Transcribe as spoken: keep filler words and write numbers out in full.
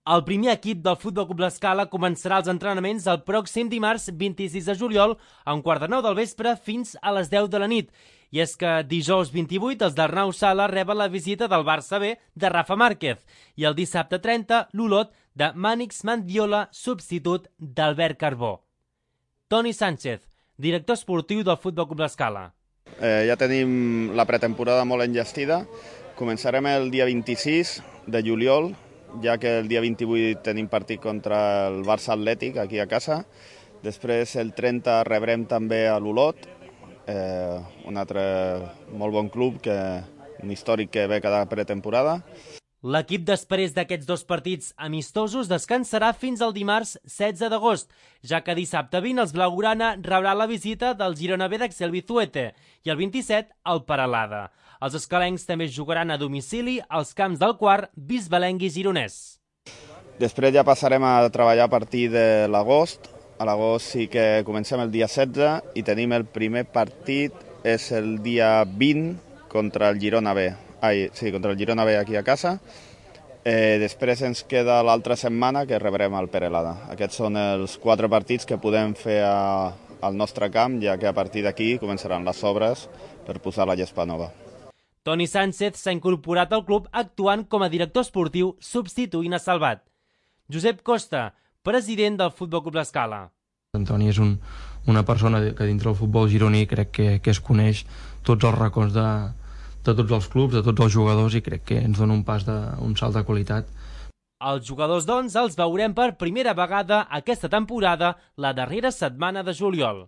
El primer equip del Futbol Club L'Escala començarà els entrenaments el pròxim dimarts vint-i-sis de juliol a un quart de nou del vespre fins a les deu de la nit. I és que dijous vint-i-vuit els d'Arnau Sala reben la visita del Barça B de Rafa Márquez i el dissabte trenta l'Olot de Mànix Mandiola, substitut d'Albert Carbó. Toni Sánchez, director esportiu del Futbol Club L'Escala. Eh, ja tenim la pretemporada molt enllestida. Començarem el dia vint-i-sis de juliol, ja que el dia vint-i-vuit tenim partit contra el Barça Atlètic aquí a casa. Després el trenta rebrem també a l'Olot, eh, un altre molt bon club, que, un històric que ve cada pretemporada. L'equip després d'aquests dos partits amistosos descansarà fins al dimarts setze d'agost, ja que dissabte vint els blaugrana rebrà la visita del Girona B d'Axel Bizuete i el vint-i-set el Peralada. Els escalencs també jugaran a domicili als camps del Quart, Bisbalenc i Gironès. Després ja passarem a treballar a partir de l'agost. A l'agost sí que comencem el dia setze i tenim el primer partit, és el dia vint contra el Girona B. Ai, sí, contra el Girona B aquí a casa. Eh, després ens queda l'altra setmana que rebrem el Peralada. Aquests són els quatre partits que podem fer a, al nostre camp, ja que a partir d'aquí començaran les obres per posar la gespa nova. Toni Sánchez s'ha incorporat al club actuant com a director esportiu substituint a Salvat. Josep Costa, president del Futbol Club L'Escala. Toni és un, una persona que dintre del futbol gironí crec que, que es coneix tots els racons de, de tots els clubs, de tots els jugadors, i crec que ens dona un pas de, un salt de qualitat. Els jugadors, doncs, els veurem per primera vegada aquesta temporada, la darrera setmana de juliol.